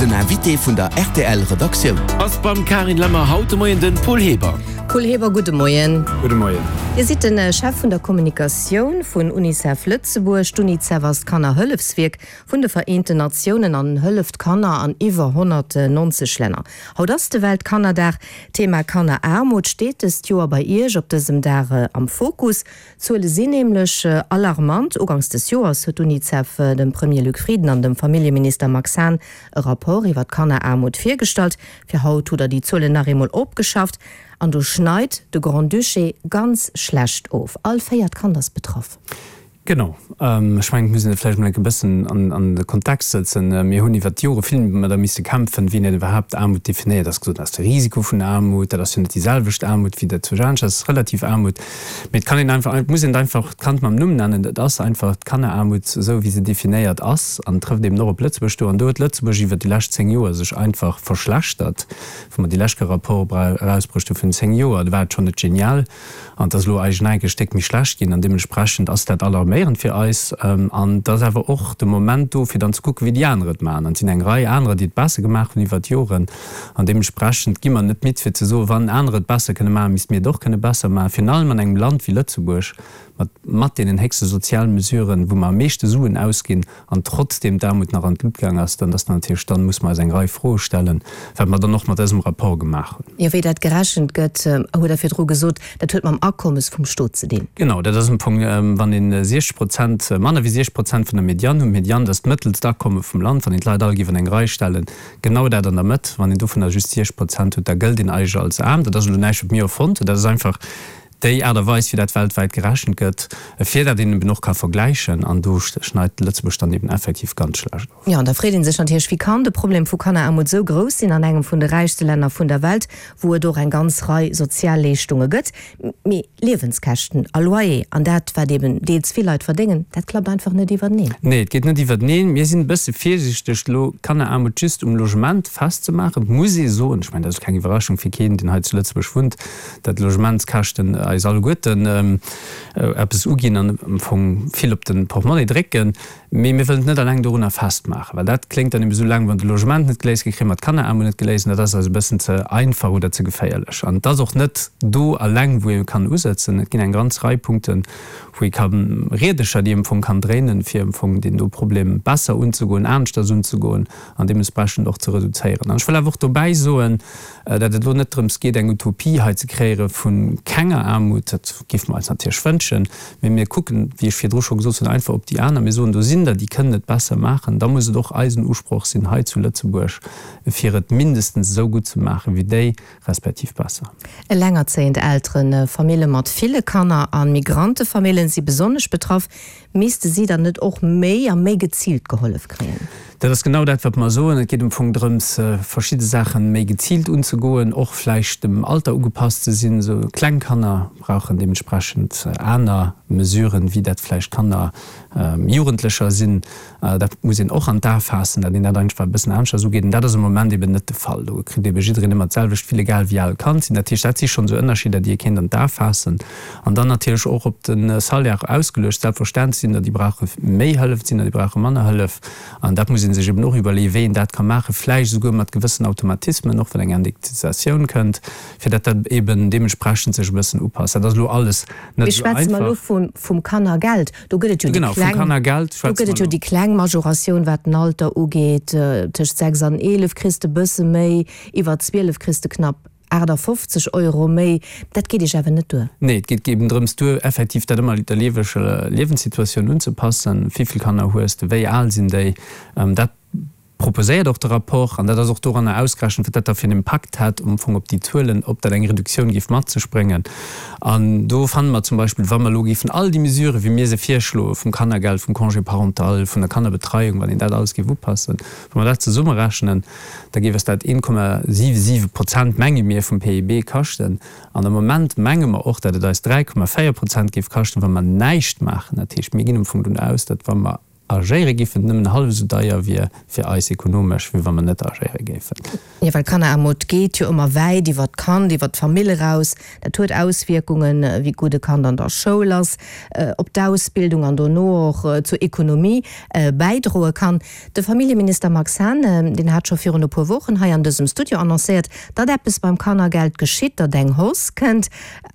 Den Invité vun der rtl Redaktioun. Ass beim Karin Lemmer haut de Moien den Paul Heber. Paul Heber, gudde Moien. Gudde Moien. Dir sidd de Chef vun der Kommunikatioun vun Unicef Lëtzebuerg. D'Unicef ass d'Kannerhëllefswierk vun de Vereenten Natiounen an hëlleft Kanner an iwwer 190 Länner. Haut ass de Weltkannerdag. D'Thema Kanneraarmut steet dëst Joer bei Iech op dësem Dag am Fokus. D'Zuele sinn nämlech alarmant. Uganks des Joers huet d'Unicef dem Premier Luc Frieden an dem Familljeminister Max Hahn e Rapport iwwer d'Kanneraarmut virgestallt. Fir haut hutt der déi Zuelen nach eemol opgeschafft. An do schneit de Grand-Duché ganz schlecht of. All véiert Kand ass betraff. Genau. Ech mengen, et muss een et vläicht emol enk e bëssen an de Kontext sëtzen. Mir hunn iwwert d'Jore vill mat der misse kämpfen, wéi een iwwerhaapt Aarmut definéiert. Ass gesot, dat ass de Risiko vun Aarmut, dat ass jo net déi selwecht Aarmut wéi dat zwou anescht, dat ass relativ Aarmut. Mee et kann een einfach, et muss een et einfach d'Kand mam Numm nennen, et ass einfach d'Kanneraarmut, esou wéi se definéiert ass an trëfft eben och op Lëtzebuerg do. An do huet Lëtzebuerg iwwert déi lescht 10 Joer sech einfach verschlechtert. Wou mer déi lescht Rapport erausbruecht hu vun 10 Joer, do war et schonn net genial. An et ass elo eigentlech e Stéck méi schlecht ginn an deementsprechend ass dat alarméierend fir eis. An et ass awer och de Moment do, fir dann ze kucken, wéi déi aner et maachen. An et sinn eng Rei anerer, déi et besser gemaach hunn iwwert d'Joren. An deementsprechend gi mer net midd, fir ze soen, wann anerer et besser kënne maachen, misste mir et och kënne besser maachen. Virun allem an engem Land wéi Lëtzebuerg mat mat deenen héchste Sozialmesuren, wou mer am meeschte Suen ausginn, an trotzdeem d'Aarmut nach an d'Lut gaang ass, dann ass natierlech, dann muss mer eis eng Rei Froe stellen, wat mer dann och mat dësem Rapport gemaach hunn. Jo, wéi dat gerechent gëtt, hutt Der virdru gesot, dat huet mam Akommes vum Stot ze dinn. Genau, dat ass am Fong, wann een 60 Prozent, manner wéi 60 Prozent vun der Medianne hunn, d'Medianne, dat ass d'mëttelst Akomme vum Land, wann een d'Leit all géif an eng Rei stellen, genau dat an der Mëtt, wann een dovunner just 60 Prozent huet, da gëllt een eigentlech als aarm. Dat ass elo näischt, wat mir erfonnt hunn, dat ass einfach Déi Aart a Weis, wéi dat weltwäit gerechent gëtt, fir dat een eben och ka vergläichen, an do schneit Lëtzebuerg dann eben effektiv ganz schlecht of. Jo, an da freet ee sech natierlech, Wéi kann de Problem vu Kanneraarmut esou grouss sinn an engem vun de räichste Länner vun der Welt, wou et och eng ganz Rei Sozialleeschtunge gëtt? Mee Liewenskäschten a Loyer an dat, wat eben deels vill Leit verdéngen, dat klappt einfach net iwwerteneen. Nee, et geet net iwwerteneen. Mir sinn e bësse virsiichteg, elo Kanneraarmut just um Logement festzemaachen. Et muss ee soen, ech mengen, dat ass keng Iwwerraschung fir keen, deen hei zu Lëtzebuerg wunnt, dat d'Logementskäschten eis alleguerten eppes uginn an am Fong vill op de Portmonnie drécken. Mee mir wëllen et net alleng dorunner festmaachen, well dat kléngt dann eben esou laang, wann de Logement net geléist gëtt, kréie mer d'Kanneraarmut net geléist. An dat ass eis e bëssen ze einfach oder ze geféierlech. An et ass och net do alleng, wou ee kann usëtzen. Et ginn eng ganz Rei Punkten, wou ee ka Riedercher, déi ee am Fong kann dréinen, fir am Fong deen do Problem besser unzegoen, aneschters unzegoen an deementsprechend och ze reduzéieren. An ech wëll awer och dobäi soen, Datt et elo net drëms geet, eng Utopie hei ze kreéiere vu kenger Aarmut, dat géife mer eis natierlech wënschen, mee mir kucken, wéi ech virdru scho gesot hunn, einfach op déi aner. Mir soen, do sinn der, déi kënnen et besser maachen. Da muss et och eisen Usproch sinn hei zu Lëtzebuerg, fir et mindestens esou gutt ze maache wéi déi, respektiv besser. Elengerzéiend Elteren, Famille mat ville Kanner a Migrantefamillen si besonnesch betraff. Misste si dann net och méi a méi geziilt gehollef kréien? Dat ass genau dat, wat mer soen. Et geet am Fong drëms, verschidde Saache méi geziilt unzegoen, och vläicht dem Alter ugepasst ze sinn. Esou kleng Kanner brauchen deementsprechend aner Mesuren, wéi dat vläicht Kanner, Jugendlecher sinn. Dat muss een och an d'A faassen, datt een dat einfach e bëssen aneschters ugeet. An dat ass am Moment eben net de Fall. Do kritt ebe jiddereen ëmmer d'selwecht vill, egal wéi al d'Kand sinn. Dat heescht, dat si schonn esou Ënnerscheeder, déi ee kéint an d'A faassen. An dann natierlech och op de Salaire ausgeluecht. Selbstverständlech sinn der, déi brauche méi Hëllef, et sinn der, déi brauche manner Hëllef. An dat muss ee sech eben och iwwerleeën, wéi een dat ka maachen, vläicht esouguer mat gewëssen Automatismen, och wann eng Indexatioun kënnt, fir datt dat eben deementsprechend sech e bëssen upasst. Dat ass elo alles net esou einfach. Mee schwätze mer elo vum Kannergeld. Do gëtt et jo déi kleng, do gëtt et jo déi kleng Majoratioun, wat den Alter ugeet, tëscht 6 an 11 kriss de bësse méi, iwwer 12 kriss de knapp 58 Euro méi. Dat geet Iech awer net duer. Nee, et geet eben drëms duer, effektiv dat ëmmer der Liewenssituatioun unzepassen. Wéivill Kanner hues de, wéi al sinn déi? Dat proposéiert och de Rapport, an dat ass och doranner ausgerechent, wat dat da fir en Impakt hätt um Fong op déi Zuelen, ob dat eng Reduktioun géif mat sech bréngen. An do fanne mer zum Beispill, wa mer elo géifen all déi Mesuren, wéi mir se virschloen, vum Kannergeld, vum Congé parental, vun der Kannerbetreiung, wann een dat alles géif upassen, wa mer dat zesummerechnen, da géif eis dat 1,77 Prozent, menge mir, vum PIB kaschten. An am Moment menge mer och, datt et eis 3,4 Prozent géif kaschten, wa mer näischt maachen. Dat heescht, mir ginn am Fong dovun aus, datt wa mer. Agéiere giffen, nëmmen hallef esou deier wier fir eis ekonomesch, wéi wa mer net agéiere géifen. Jo, well Kanneraarmut geet jo ëmmer wäit iwwert d'Kand, iwwert d'Famill eraus. Dat huet Auswierkungen, wéi gutt e Kand an der Schoul ass, op d'Ausbildung an dono och zur Ekonomie bäidroe kann. De Familljeminister Max Hahn, deen hat scho virun e puer Wochen hei an dësem Studio annoncéiert, datt eppes beim Kannergeld geschitt, datt eng Hausse kënnt.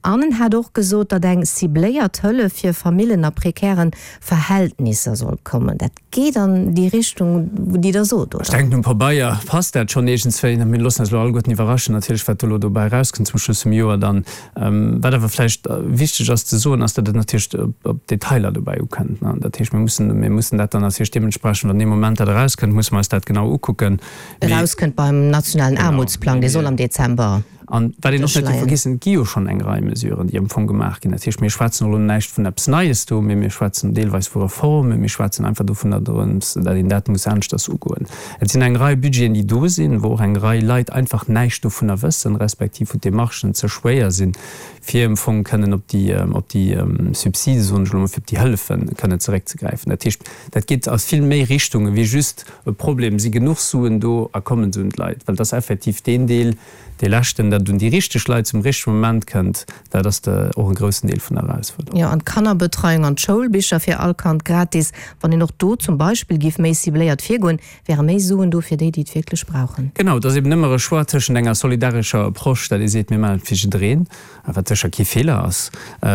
An en hat och gesot, datt eng cibléiert Hëllef fir Famillen a prekären Verhältnisser soll kommen. Dat geet an déi Richtung, déi Der sot, oder? Ech denken, um Pabeier passt dat schonn iergendswéi. Mir loossen eis elo alleguerten iwwerraschen natierlech, wat do elo dobäi erauskënnt zum Schluss vum Joer dann. Wat awer vläicht wichteg ass ze soen, ass, datt et natierlech op d'Detailer dobäi ukënnt. Dat heescht, mir mussen, mir mussen dat dann natierlech deementsprechend, wann dee Moment dat erauskënnt, musse mer eis dat genau ukucken. Erauskënnt beim nationalen Aarmutsplang, dee soll am Dezember. An wat een och net dierf vergessen, et gi jo schonn eng Rei Mesuren, déi am Fong gemaach ginn. Dat heescht, mir schwätzen elo näischt vun eppes Neies do, mee mir schwätzen deelweis vu Reformen, mir schwätzen einfach dovunner, dorëms, datt een dat muss aneschters ugoen. Et sinn eng Rei Budgeten, déi do sinn, wou och eng Rei Leit einfach näischt dovunner wëssen, respektiv wou d'Demarchen ze schwéier sinn, fir am Fong kënnen op déi, op déi Subside, soen ech elo mol, fir op déi Hëllefe kënnen zeréckzegräifen. Dat heescht, dat geet a vill méi Richtungen wéi just e Problem, si genuch Suen do a kommen se un d'Leit? Well et ass effektiv deen Deel, dee leschten, datt et un déi richteg Leit zum richtege Moment kënnt, dat ass de och e groussen Deel vun der Erausfuerderung. Jo, an d'Kannerbetreiung an d'Schoulbicher fir all Kand gratis. Wann een och do zum Beispill géif méi cibléiert virgoen, wäre méi Suen do fir déi, déi et wierklech brauchen. Genau, et ass eben ëmmer e Choix tëschent enger solidarescher Approche, dat ee seet, mir maachen et fir jiddereen, wat sécher kee Feeler ass,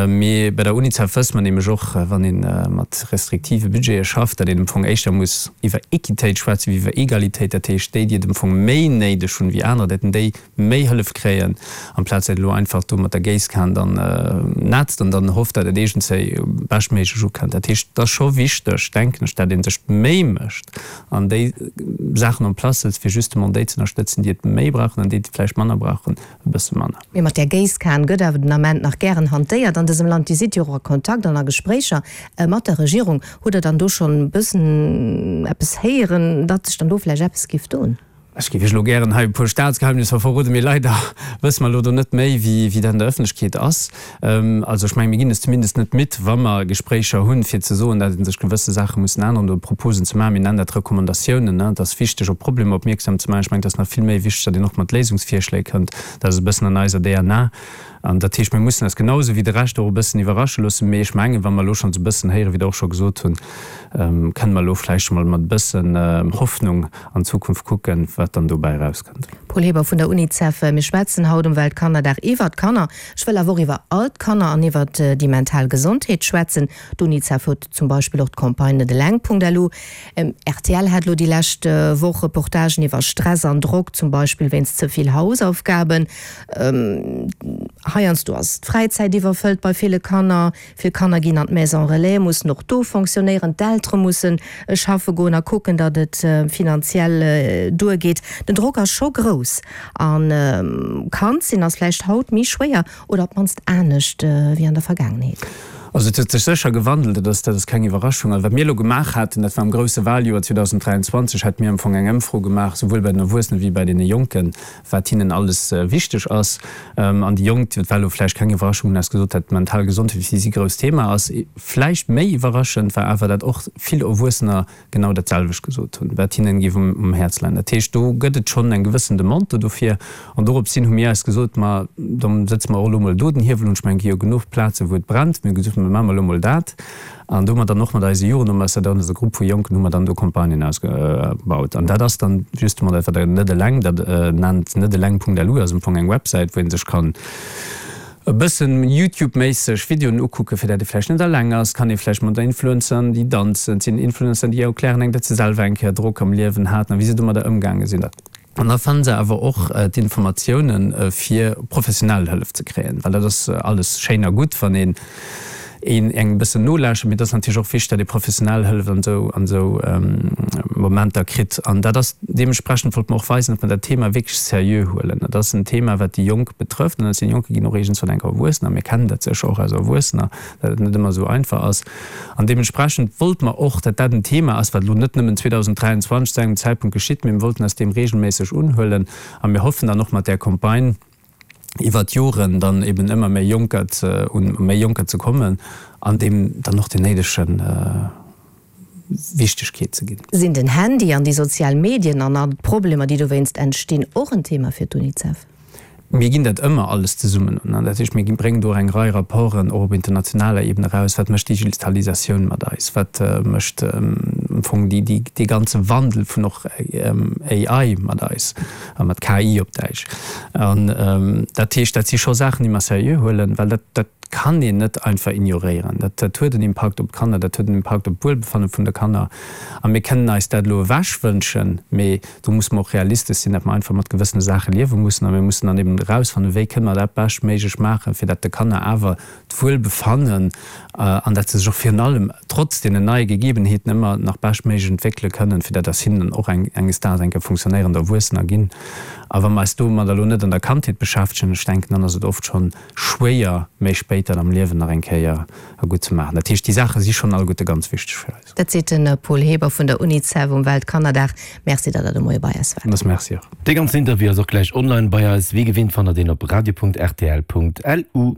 mee bei der Unicef wësst mer nämlech och, wann ee mat restriktive Budgete schafft, datt een am Fong éischter muss iwwer Equitéit schwätzen wéi iwwer Egalitéit, dat heescht déi, déi et am Fong méi néideg hunn wéi anerer, datt déi méi Hëllef kréien, amplaz datt een elo einfach do mat der Géisskan dann nätzt an dann hofft, datt et iergendzéi beschtméiglech ukënnt. Dat heescht, et ass scho wichteg, denken ech, datt ee sech d'Méi mécht an déi Saachen en place sëtzt, fir justement déi ze ënnerstëtzen, déi et méi brauchen an déi, déi et vläicht manner brauchen, e bësse manner. Mee mat där Géisskan gëtt awer den Ament nach gären hantéiert an dësem Land. Dir sidd jo och a Kontakt an a Gespréicher mat der Regierung. Hutt Der dann do schonn e bëssen eppes héieren, datt sech dann do vläicht eppes giff doen? Ech géif Iech elo gären hei e puer Staatsgeheimnisser verroden, mee leider wësse mer elo do net méi, wéi dat an der Ëffentlechkeet ass. Also ech mengen, mir ginn es zumindest net midd, wa mer Gespréicher hunn, fir ze soen, datt ee sech gewësse Saache mussen änneren oder Proposen ze maachen. Mir nennen dat Recommandatiounen. Et ass wichteg, op Problemer opmierksam ze maachen. Ech mengen, et ass nach vill méi wichteg, datt een och mat Léisungsvirschléi kënnt. Dat ass e bëssen an eiser DNA. An dat heescht, mir mussen eis genau esou wéi de Rescht och e bëssen iwwerrasche loossen. Mee ech mengen, wa mer elo schonns e bëssen héieren, wéi Der och scho gesot hunn, kënne mer elo vläicht scho mol mat e bëssen Hoffnung an d'Zukunft kucken, wat dann dobäi erauskënnt. Paul Heber vun der Unicef, Mir schwätzen haut um Weltkannerdag iwwert d'Kanner. Ech wëll awer och iwwer all d'Kanner an iwwert déi mental Gesondheet schwätzen. D'Unicef huet zum Beispill och d'Campagne Net eleng.lu. Rtl hat elo déi lescht Woch Reportagen iwwer Stress an Drock, zum Beispill wéinst ze vill Hausaufgaben. Heiansdo ass d'Fräizäit iwwerfëllt bei ville Kanner. Vill Kanner ginn an d'Maison Relais, mussen och do fonctionnéieren. D'Eltere musse schaffe goen a kucken, datt et finanziell duergeet. Den Drock ass scho grouss a Kand sinn ass vläicht haut méi schwéier oder op d'mannst anescht wéi an der Vergaangenheet. Also et huet sech sécher gewandelt, dat ass, dat ass keng Iwwerraschung. Also wat mir elo gemaach haten, dat war am grousse Wahljoer 2023, hate mir am Fong eng Ëmfro gemaach, souwuel bei den Erwuessenen wéi bei deene Jonken, wat hinnen alles wichteg ass. An déi Jonk, dat war elo vläicht keng Iwwerraschung, hunn eis gesot, dat d'mental Gesondheet fir si e grousst Thema ass. Vläicht méi iwwerraschend war awer, dat och vill Erwuessener genau dat selwecht gesot hunn, wat hinnen géif um Häerz leien. Dat heescht, do gëtt et schonn eng gewëssen Demande dofir. An dorops hin hu mir eis gesot, ma da sëtze mer och elo mol do den Hiewel un. Ech mengen, et gi jo genuch Plazen, wou et brennt. Mir hu gesot, ma maache mer elo mol dat. An do hu mer dann och mat eise Jugendambassadeuren, also e Grupp vu Jonken, hu mer dann do Campagnen ausgebaut. An dat ass dann justement dat, wat Der Net eleng dat nennt. Neteleng.lu ass am Fong eng Websäit, wou ee sech kann e bëssen Youtube-méisseg Videoen ukucken, fir dat ee vläicht net eleng ass. Kann ee vläicht mat Influencern, déi danzen, et sinn Influencer, déi erklären engem, datt se selwer eng Kéier Drock am Liewen haten a wéi se domadder ëmgaange sinn. An da fanne se awer och d'Informatiounen, fir professionell Hëllef ze kréien, well dat ass alles schéin a gutt, wann een een engem e bëssen nolauschtert, mee et ass natierlech och wichteg, datt ee professionell Hëllef an esou an esou Momenter kritt. An dat ass deementsprechend wollte mer och weisen, datt mer dat Thema wierklech seriö huelen. Dat ass en Thema, wat déi Jonk betrëfft, an aus deene Jonke ginn och iergendswann enk Erwuessener. Mir kennen dat sécher och aus Erwuessener, datt et net ëmmer esou einfach ass. An deementsprechend wollte mer och, datt dat en Thema ass, wat elo net nëmmen 2023 zu engem Zäitpunkt geschitt, mee mir wollten eis deem regelméisseg unhuelen. A mir hoffen dann och mat där Campagne iwwert d'Joren dann eben ëmmer méi Jonker ze, un méi Jonker ze kommen an deem dann och deen néidegen. Wichtegkeet ze ginn. Sinn den Handy an déi sozial Medien an all d'Problemer, déi dowéinst entstinn, och en Thema fir d'UNICEF? Mir ginn dat ëmmer alles zesummen un. An dat heescht, mir bréngen do och eng Rei Rapporten och op internationaler Ebene eraus, Wat mécht d'Digitalisatioun mat eis? Wat mécht am Fong dee ganze Wandel vun och AI mat eis, a mat KI op Däitsch? An dat heescht, dat si scho Saachen, déi mer seriö huelen, well dat, dat kann een net einfach ignoréieren. Dat, dat huet en Impakt op d'Kanner, dat huet en Impakt op d'Wuelbefanne vun de Kanner. A mir kënnen eis dat elo ewechwënschen, mee do musse mer och realistesch sinn, datt mer einfach mat gewëssene Saache liewe mussen. A mir mussen dann eben erausfannen, wéi kënne mer dat beschtméiglech maachen, fir datt de Kanner awer d'Wuelbefannen an datt se sech och virun allem trotz deenen neie Gegebenheeten ëmmer nach beschtméiglech entwéckele kënnen, fir datt aus hinnen och eng enges Daags eng Kéier funktionéierend Erwuessener ginn. A wa mer eis domadder elo net an der Kandheet beschäftegen, ech denken, dann ass et oft schonn schwéier, méi spéit dat am Liewen nach eng Kéier gutt ze maachen. Dat heescht, déi Saache si schonn alleguerte ganz wichteg fir eis. Dat seet de Paul Heber vun der Unicef um Weltkannerdag. Merci, datt Der de Moie bei eis waart. Merci och. Dee ganzen Interview ass och gläich online bei eis. Wéi gewinnt fannt der deen op radio.rtl.lu.